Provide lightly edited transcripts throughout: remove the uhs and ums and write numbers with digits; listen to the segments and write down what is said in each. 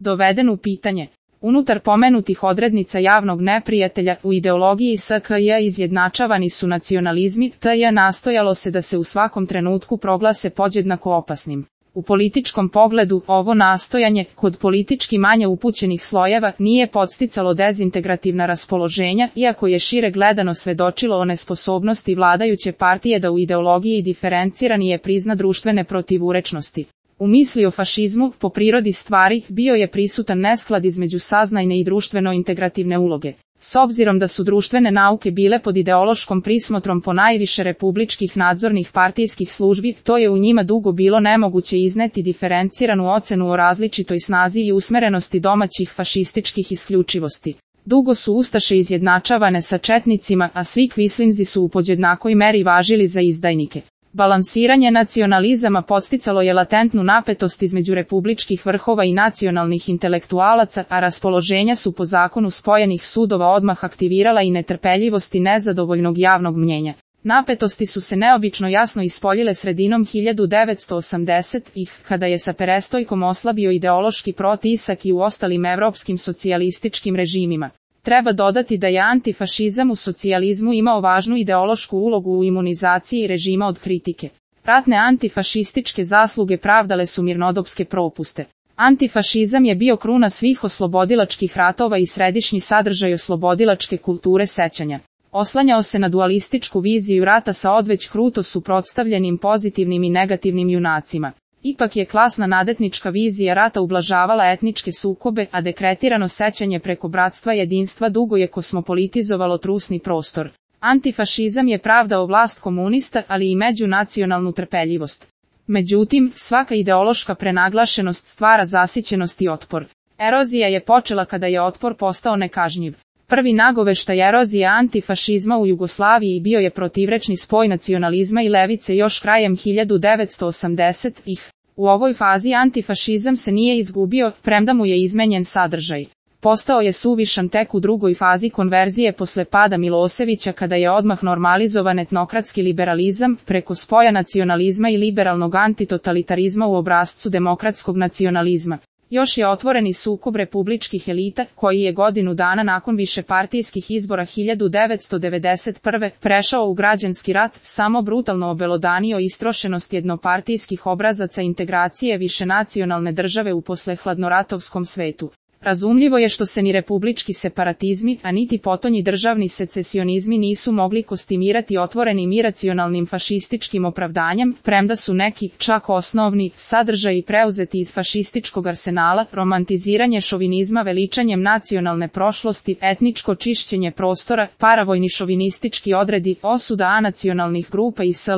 doveden u pitanje. Unutar pomenutih odrednica javnog neprijatelja u ideologiji SKJ izjednačavani su nacionalizmi, t.j. nastojalo se da se u svakom trenutku proglase podjednako opasnim. U političkom pogledu, ovo nastojanje, kod politički manje upućenih slojeva, nije podsticalo dezintegrativna raspoloženja, iako je šire gledano svedočilo o nesposobnosti vladajuće partije da u ideologiji diferenciranije prizna društvene protivurečnosti. U misli o fašizmu, po prirodi stvari, bio je prisutan nesklad između saznajne i društveno-integrativne uloge. S obzirom da su društvene nauke bile pod ideološkom prismotrom ponajviše republičkih nadzornih partijskih službi, to je u njima dugo bilo nemoguće izneti diferenciranu ocenu o različitoj snazi i usmerenosti domaćih fašističkih isključivosti. Dugo su ustaše izjednačavane sa četnicima, a svi kvislinzi su u podjednakoj meri važili za izdajnike. Balansiranje nacionalizama podsticalo je latentnu napetost između republičkih vrhova i nacionalnih intelektualaca, a raspoloženja su po zakonu spojenih sudova odmah aktivirala i netrpeljivost i nezadovoljnog javnog mnjenja. Napetosti su se neobično jasno ispoljile sredinom 1980-ih, kada je sa perestojkom oslabio ideološki protisak i u ostalim evropskim socijalističkim režimima. Treba dodati da je antifašizam u socijalizmu imao važnu ideološku ulogu u imunizaciji režima od kritike. Ratne antifašističke zasluge pravdale su mirnodopske propuste. Antifašizam je bio kruna svih oslobodilačkih ratova i središnji sadržaj oslobodilačke kulture sećanja. Oslanjao se na dualističku viziju rata sa odveć kruto suprotstavljenim pozitivnim i negativnim junacima. Ipak je klasna nadetnička vizija rata ublažavala etničke sukobe, a dekretirano sećanje preko bratstva jedinstva dugo je kosmopolitizovalo trusni prostor. Antifašizam je pravdao vlast komunista, ali i međunacionalnu trpeljivost. Međutim, svaka ideološka prenaglašenost stvara zasićenost i otpor. Erozija je počela kada je otpor postao nekažnjiv. Prvi nagoveštaj erozije antifašizma u Jugoslaviji bio je protivrečni spoj nacionalizma i levice još krajem 1980-ih. U ovoj fazi antifašizam se nije izgubio, premda mu je izmenjen sadržaj. Postao je suvišan tek u drugoj fazi konverzije posle pada Miloševića, kada je odmah normalizovan etnokratski liberalizam preko spoja nacionalizma i liberalnog antitotalitarizma u obrascu demokratskog nacionalizma. Još je otvoreni sukob republičkih elita, koji je godinu dana nakon višepartijskih izbora 1991. prešao u građanski rat, samo brutalno obelodanio istrošenost jednopartijskih obrazaca integracije višenacionalne države u poslehladnoratovskom svetu. Razumljivo je što se ni republički separatizmi, a niti potonji državni secesionizmi nisu mogli kostimirati otvorenim iracionalnim fašističkim opravdanjem, premda su neki, čak osnovni, sadržaji preuzeti iz fašističkog arsenala, romantiziranje šovinizma veličanjem nacionalne prošlosti, etničko čišćenje prostora, paravojni šovinistički odredi, osuda anacionalnih grupa i sl.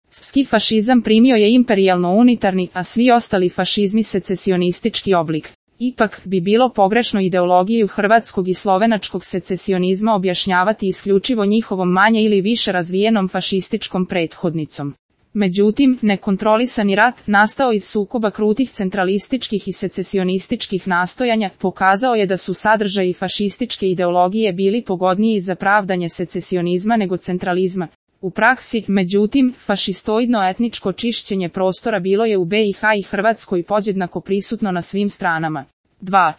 Ski fašizam primio je imperijalno-unitarni, a svi ostali fašizmi secesionistički oblik. Ipak bi bilo pogrešno ideologiju hrvatskog i slovenačkog secesionizma objašnjavati isključivo njihovom manje ili više razvijenom fašističkom prethodnicom. Međutim, nekontrolisani rat, nastao iz sukoba krutih centralističkih i secesionističkih nastojanja, pokazao je da su sadržaji fašističke ideologije bili pogodniji za pravdanje secesionizma nego centralizma. U praksi, međutim, fašistoidno etničko čišćenje prostora bilo je u BiH i Hrvatskoj podjednako prisutno na svim stranama. 2.